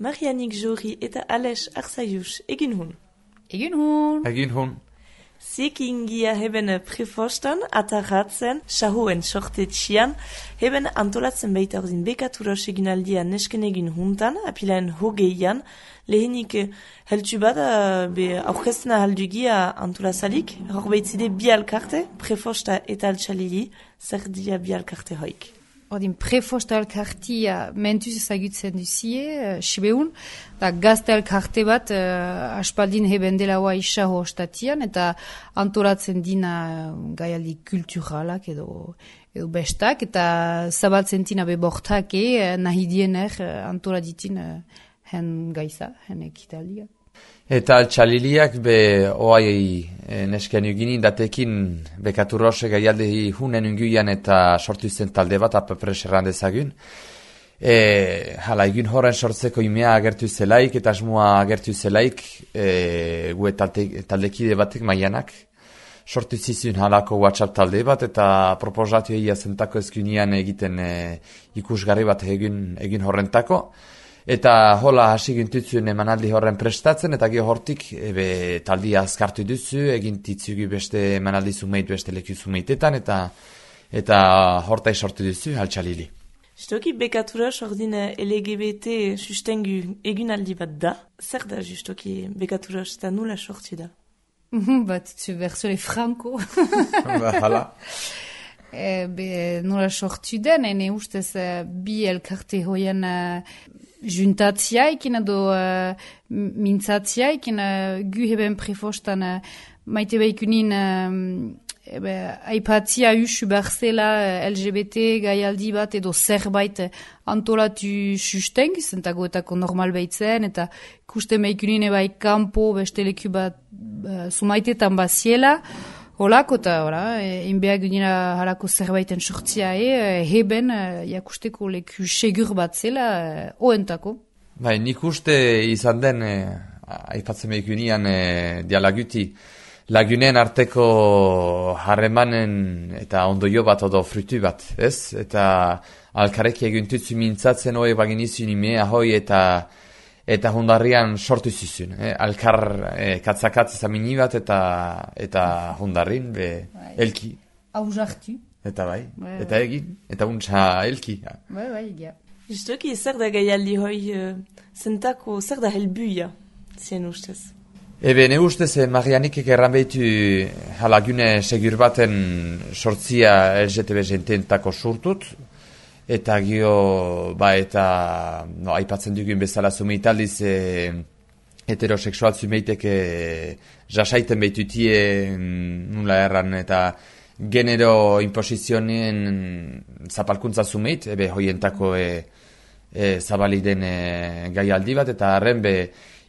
Marianik Jori eta Ales Arzaius, egin hun. Egin hun. Egin hun. Ziekin gia heben prefostan, atarratzen, sahuen sortetxian, heben antolatzen baita ordin bekaturos egin aldian nesken egin huntan, apilaen hogeian, lehenik heltu bat aurkeztena haldugia antolazalik, hor behitzide bi alkarte, prefosta eta altxalili, zer dia bi alkarte hoik. Ordin prefosta alkartia mentuz ezagutzen duzie, sibeun, da gazte alkarte bat aspaldin heben dela hoa isaho ostatian, eta antolatzen dina gaialdi kulturalak edo bestak, eta zabaltzen tina bebortak nahi diener antoladitin hen gaiza, hen ekitaldia. Eta altxaliliak oai nesken uginin datekin bekaturrose gaialdi hunen unguian eta sortu zen talde bat apapres errandezagun. Hala, egun horren sortzeko imea agertu zelaik eta asmoa agertu zelaik gue taldekide batek maianak. Sortu zizun halako WhatsApp talde bat eta proposatu egia zentako ezkunian egiten ikusgarri bat egin horrentako. Eta hola hasi gintutzuen emanaldi horren prestatzen, eta gero hortik taldia azkartu duzu, egin titzugu beste emanaldi zumeit, beste leku zumeitetan, eta hortai sortu duzu, altxalili. Justoki bekaturas ordin LGBT sustengu egunaldi bat da. Zer da justoki bekaturas eta nula sortu da? Bat zu berzole franco. Hala. Nola sortu den, ene ustez bi elkarte hoien juntatziaikin edo mintzatziaikin gu heben prefostan maite behikunin aipatzia usu berzela LGBT gaialdi bat edo zerbait antolatu susteng, zentagoetako normal behitzen, eta ikusten behikunin ebai kampo beste leku bat sumaitetan baziela. Holako eta, inbeak ginera halako zerbaiten sortzia heben jakusteko leku segur bat zela oentako. Bai, nik uste izan den, aipatzen behik unian dialaguti, lagunen arteko harremanen eta ondoio bat odo frutu bat, ez? Eta alkareki eguntutzu mintzatzen hoe baginizun imea hoi eta hundarrian sortu zizun. Alkar katzakatz zamini bat eta hundarrin elki. Hauzartu. Eta bai, eta egin, eta untsa elki. Bai, egia. Justoki zer da gaialdi hoi zentako, zer da helbuia, zien ustez? Ne ustez, Marianik erran behitu halagune segur baten sortzia LGTB jententako surtut, eta gio, eta aipatzen dugun bezala zumeitaldiz heteroseksual zumeitek jasaiten behitutie nula erran, eta genero imposizionien zapalkuntza zumeit, hoientako zabali den gaialdi bat, eta harren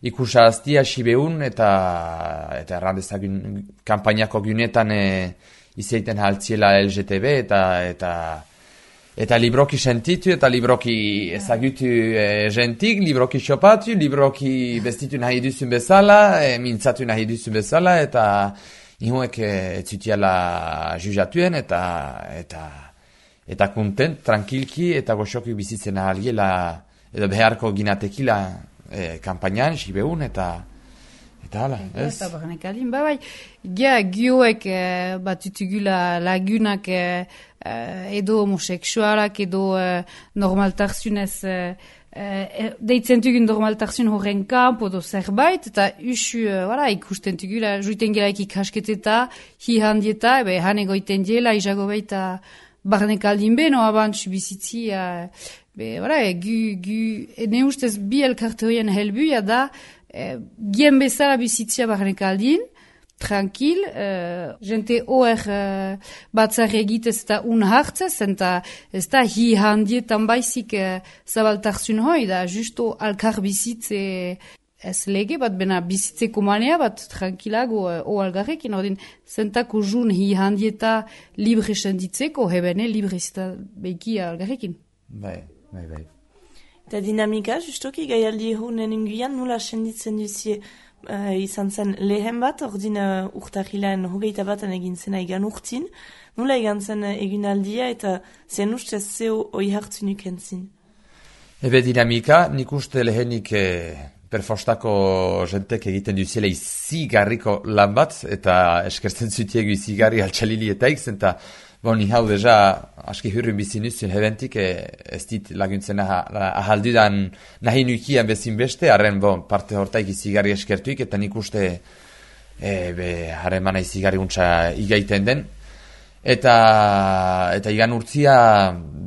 ikusa aztia sibeun, eta errandezagun kampainako gunetan izaiten haltziela LGTB, eta libroki sentitu, eta libroki ezagutu gentik, libroki xopatu, libroki bestitu nahi duzun bezala, mintzatu nahi duzun bezala, eta ihuek etzutiala juzatuen, eta kontent, tranquilki, eta goxoki bizitzen ahaliela, edo beharko ginatekila kampainan, sibeun, eta hala, ez? Eta barnek aldin, bai. Gioek batutugula lagunak edo homoseksualak edo normaltarzunez deitzen dugun normaltarzun horren kamp edo zerbait, eta usu ikusten dugula, juiten gelaik ikasketeta, hi handieta, han egoiten diela, izago baita barnek aldin beno, abantzu bizitzi, ne ustez bi elkarte horien helbuia da, gien bezala bizitzia barnek aldin, tranquil, jente oer batzar egitez eta unhartzez, eta ez da hi handietan baizik zabaltarzun hoi, da justo alkar bizitze ez lege bat, bena bizitzeko manea bat tranquilago algarrekin, ordin zentako jun hi handieta libre senditzeko, hebene libre zita beki algarrekin. Bai. Eta dinamika, justoki gaialdi honen inguian nula senditzen duzie izan zen lehen bat, ordin urtahilaen hogeita batan egin zena egan urtin, nula egan zen egunaldia eta zen ustez zeo oi hartzun ukentzin? Ebe dinamika, nik uste lehenik perfostako jentek egiten duzela izigarriko lan bat, eta eskertzen zutiegu izigarri altxalilietaik, eta ni hau deja aski hurrin bizin nuzun hebentik, ez dit laguntzen ahaldudan nahi nukian bezin beste, harren parte hortaik izigarri eskertuik, eta nik uste harremana izigarri untsa igaiten den. Eta igan urtzia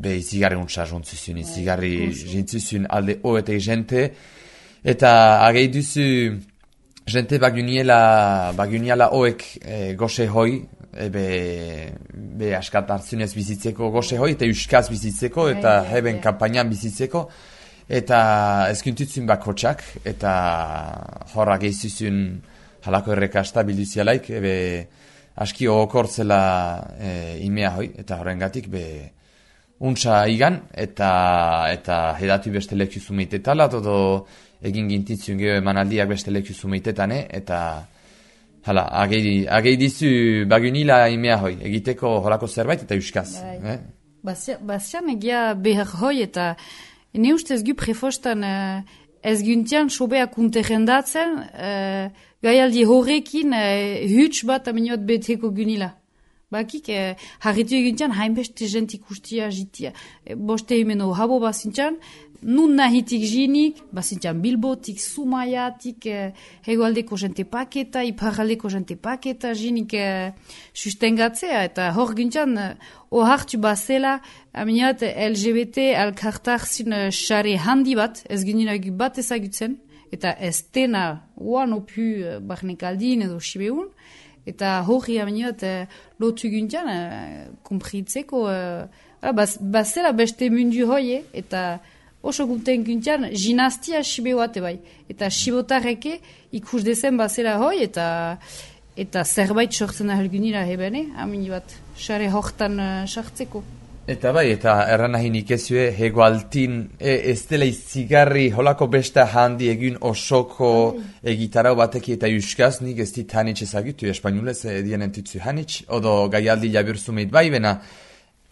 izigarri untsa jontzuzun, izigarri jintzuzun alde oetei jente, eta agei duzu jente baguniala oek goxe hoi, be askat hartzunez bizitzeko goxe hoi, eta euskaz bizitzeko, eta heben kampainan bizitzeko, eta ezkuntutzun bakotxak, eta horra gehizuzun halako errekasta bilduzialaik, aski okortzela imea hoi, eta horrengatik untsa igan, eta hedatu beste lekio zumeitetala, todo egin gintitzun geho emanaldiak beste lekio zumeitetane, eta hala, agei dizu bagunila imea hoi, egiteko holako zerbait eta euskaz. Bazian egia behar hoi, eta ne ustez gu prefostan ez guntian sobeak unterrendatzen, gaialdi horrekin huts bat aminiot beteko gunila. Bakik, harritu eguntian hainbeste jentik ustia jitia. Boste himeno habo bazintxan, nun nahitik jinik, bazintxan Bilbotik, Zumaiatik, hegoaldeko jente paketa, iparaldeko jente paketa jinik sustengatzea. Eta hor guntian, ohartu bazela, aminiot LGBT alkartarzin xare handi bat, ez guninagu bat ezagutzen, eta ez dena oan opu barnekaldin edo sibeun, eta hori aminiot lotu guntian kumpritzeko bazela beste mundu hoi, eta oso gunten guntian ginastia sibeuate bai. Eta sibotarreke ikus dezen bazela hoi, eta zerbait sortzen ahal gunira hebene, aminiot xare hortan sartzeko. Eta bai, eta erran nahi nik ezue, hegoaltin ez dela izigarri holako besta handi egin osoko egitarau bateki eta euskaz, nik ez dit hanitz ezagutu, espainolez dien entutzu hanitz, odo gaialdi jabirzumeit bai, bena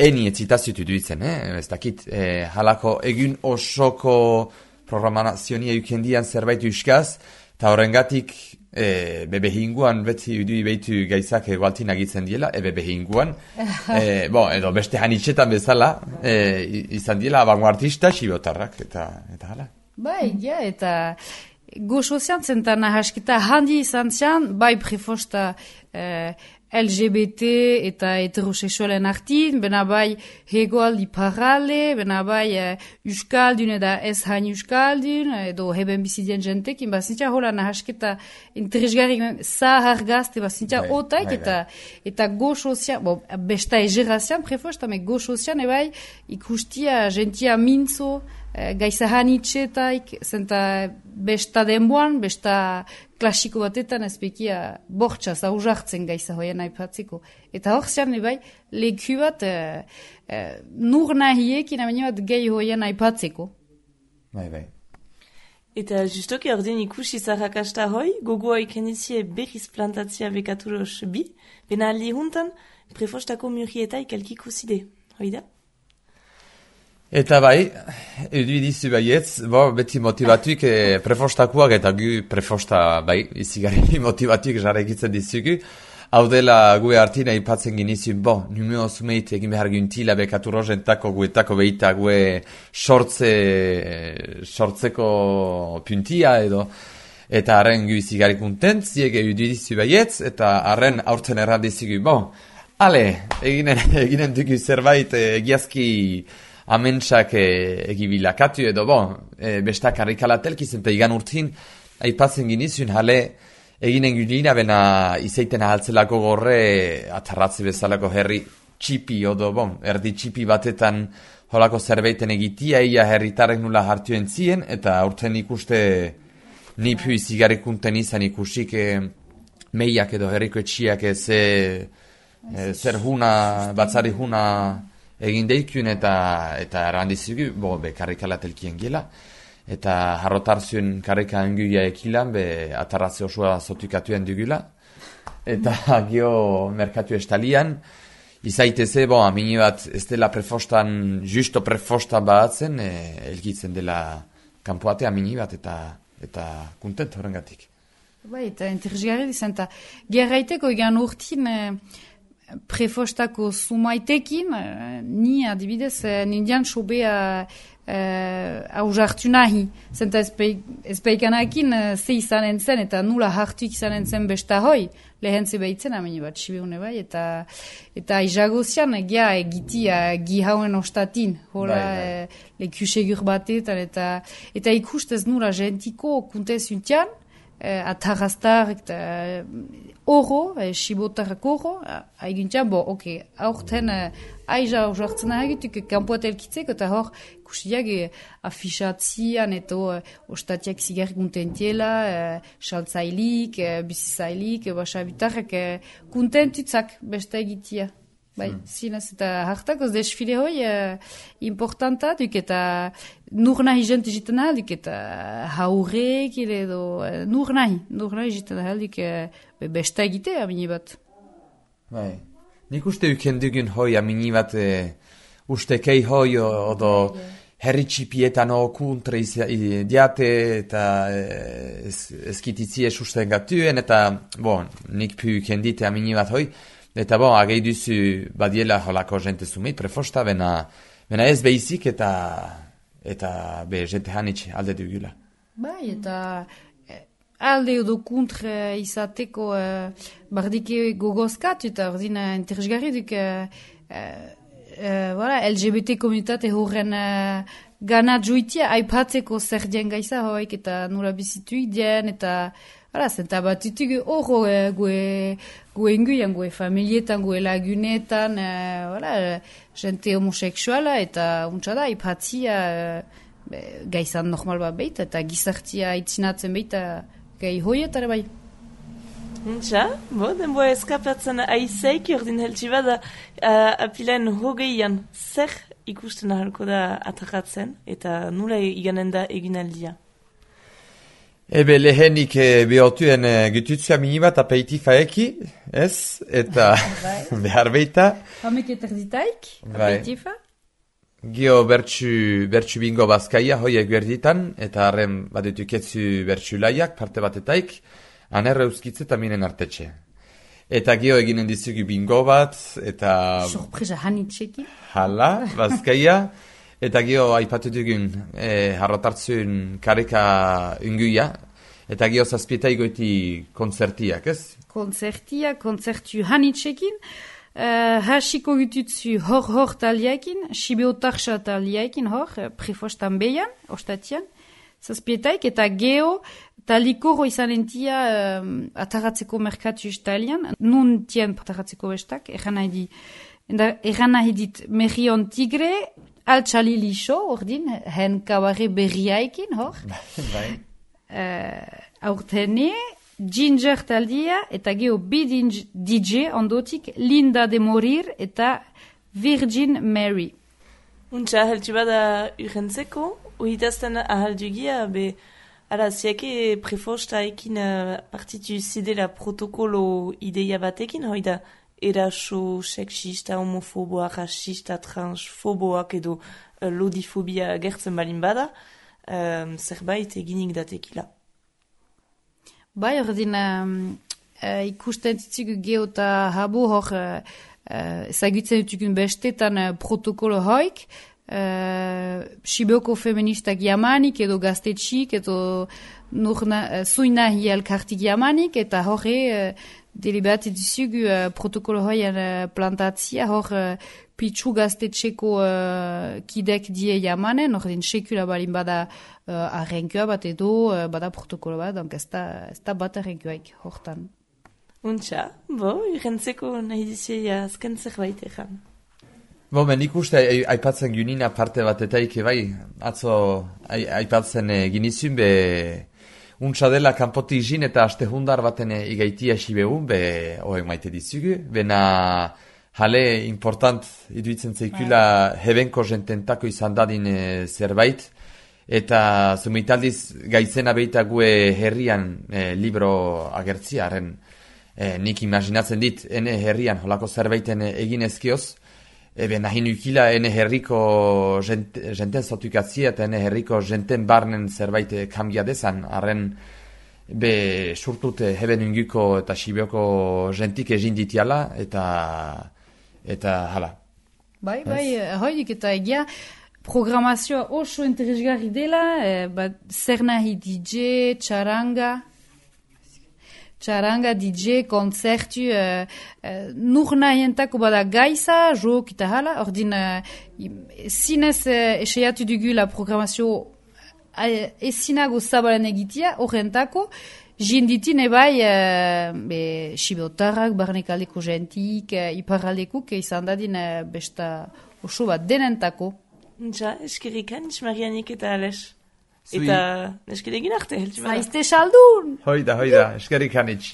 eni etzitazutu duitzen, ez dakit, halako egin osoko programazionia eukendian zerbait euskaz, eta horrengatik behinguan beti udui behitu gaizak egualtin agitzen diela, behinguan, edo beste hanitxetan bezala, izan diela abanguartista sibotarrak, eta hala. Bai, ja, eta goxo ziantzen eta nahasketa handi izan zian, bai prefosta LGBT eta heterosexualen artin, bena bai hegoaldi parale, bena bai euskaldun eta ez hain euskaldun, edo heben bizidien jentekin, bazintza hola nahasketa interesgarrik zahar gazte, bazintza otaik, eta goxo zian, besta egerazian prefosta, me goxo zian, ebai ikustia jentia mintzo, gaizahan itxetaik, zenta besta denboan, besta klasiko batetan ezpekia bortxaz auzartzen gaiza hoian aipatzeko. Eta hor zian, bai, leku bat nur nahiekin amene bat gehi hoian aipatzeko. Bai. Eta justoki ordin ikusi zarrakasta hoi, gogoa ikenizie berriz plantatzia bekaturos bi, bena aldi juntan, prefostako murrietaik elkiko zide, hoi da? Eta bai, edu dizu baietz, beti motivatuik prefostakuak eta gu prefosta bai, izigarri motivatuik jarrekitzen dizugu. Hau dela gue hartina ipatzen ginizun, numeo zumeit egin behar guntila bekatu rojentako guetako behita gue sortzeko puntia edo. Eta harren gu izigarri kontent, ziege edu dizu baietz, eta harren aurten errandizugu, eginen dugu zerbait egiazki amentsak egibilakatu edo bestak harrikalatelkiz eta igan urtin aipatzen ginizun jale eginen gulina bena izaiten ahaltzelako gorre atarratze bezalako herri txipi edo erdi txipi batetan holako zerbaiten egitia ia herritarrek nula hartu entzien eta urten ikuste nipu izigarrikunten izan ikusik meiak edo herriko etxiak zer huna, batzari huna egin deikun eta errandizugu, karrikalatelkien gila. Eta harrotarzuen karrika enguia ekilan, atarratze osoa zotukatuen dugula. Eta gio merkatu estalian, izaiteze, amini bat ez dela prefostan, justo prefostan batzen, elgitzen dela kanpoate amini bat eta kontent horrengatik. Bai, eta interesgarri dizan, eta gerraiteko egan urtin prefostako sumaitekin, ni adibidez, nindian sobea hausartu nahi. Zenta ezpeikanakin ze izanen zen, eta nula hartuik izanen zen besta hoi, lehen zebeitzen amini bat, sibeune bai, eta izagozian egitia gihauen ostatin, hola lekusegur batetan, eta ikustez nula gentiko kuntez untian, atarrastar, oro, sibotarrak oro, haiguntian, aurten aiza hausartzen nahiagituk, kanpoat elkitzeko, eta hor, kustiak afixatzian, eta ostatiak zigarrik kuntentiela, saltzailik, bizizailik, basabitarrak kuntentutzak besta egitia. Bai, zinez, eta hartakoz desfile hoi importanta duk, eta nur nahi jent egiten ahal duk, eta haurek edo nur nahi egiten ahal duk, besta egite amini bat. Bai, nik uste uken dugun hoi amini bat ustekei hoi odo herri txipietan kontra diate eta eskititzie susten gatuen, eta nik pu uken dite amini bat hoi. Eta agei duzu badiela holako jente sumit, prefosta, bena ez behizik eta jente hanitxe alde dugula. Bai, eta alde edo kontra izateko bardike gogozkatu, eta ordin interesgarri duk LGBT komunitate horren gana joitia aipatzeko zer dien gaiza hoik, eta nula bizituik dien, eta zenta batutuk horro gue inguian, gue familietan, gue lagunetan, jente homoseksuala, eta untsa ipatzia gaizan normal bat beita, eta gizartia itzinatzen beita gai hoietara bai. Untsa, denboa eskapatzen aizeik ordin heltsi bada apilaen hogeian zer ikusten ahalko da atakatzen, eta nula iganen da eginaldia? Ebe lehenik behotuen gututzea minibat aperitiva eki, ez? Eta behar beita. Hamek eterditaik, aperitiva? Gio bertsu bingo bazkaia hoiek berditan, eta harren badutuketzu bertsu laiak, parte batetaik, anerre euskitze eta minen artetxe. Eta gio eginen dizugu bingo bat, eta... Sorpresa hanitxeki. Hala, bazkaia. Eta gio aipatu dugun harrotartzun kareka unguia, eta gio zazpietai goiti konzertiak, ez? Konzertu hanitxekin, hasiko gututzu hor taliakin, sibeotarxa taliakin hor, prefostan behan, ostatian, zazpietaik, eta geo talikoro izanentia ataratzeko merkatu istalian, nun tien ataratzeko bestak, eran nahi dit Merion Tigre, Altxali lixo, ordin, hen kabare berriaikin, hor. Aurtene, Ginger taldia, eta geho bi DJ ondotik, Linda de Morir eta Virgin Mary. Untsa, heltsi bada urrentzeko, uhitazten ahaldugia, ziake prefosta ekin partitu zidela protokolo ideia batekin, hoi da, eraso, sexista, homofoboa, rasista, transfoboak edo lodifobia gertzen balin bada, zerbait eginik datekila. Bai, ordin ikusten ditzugu geho eta habo hor ezagutzen dutukun bestetan protokolo hoik, Sibeoko feministak jamanik edo gaztetxik edo zuina hielkartik jamanik, eta horre deliberati dizugu protokolo hoian plantatzia, hor pitsu gaztetxeko kidek die jamanen, ordin sekula balin bada arrenkua bat edo bada protokolo bat, donk ez da bat arrenkuaik hortan. Untsa, irentzeko nahi dizia azken zerbait egan. Nik uste aipatzen gunina parte batetaik, bai, atzo aipatzen ginizun, untsa dela kanpoti izin eta aste hundar baten igaitia sibeun, hoek maite dizugu, bena jale important iduitzen zeikula hebenko jententako izan dadin zerbait, eta zumitaldiz gaizena beita gue herrian libro agertziaren, nik imaginatzen dit, ene herrian, holako zerbaiten egin ezkioz, nahi nukila ene herriko jenten zotukatzia eta ene herriko jenten barnen zerbait kambia dezan, arren surtut heben unguko eta sibioko jentik egin ditiala, eta hala. Bai, hoidik eta egia, programazioa oso interesgarri dela, zer nahi DJ, txaranga, DJ, konzertu, nur nahientako bada gaiza, jok eta hala, ordin zinez eseiatu dugu la programazio ezinago zabalen egitea, horrentako, jinditin ebai Sibiotarrak, barnekaldeko jentik, iparraldekuk, izan dadin besta oso bat denentako. Ja, eskerikan, Marianik eta Ales. Eta eskeregin arte, heltsi bada. Zaizte saldun! Hoida, eskerikanik.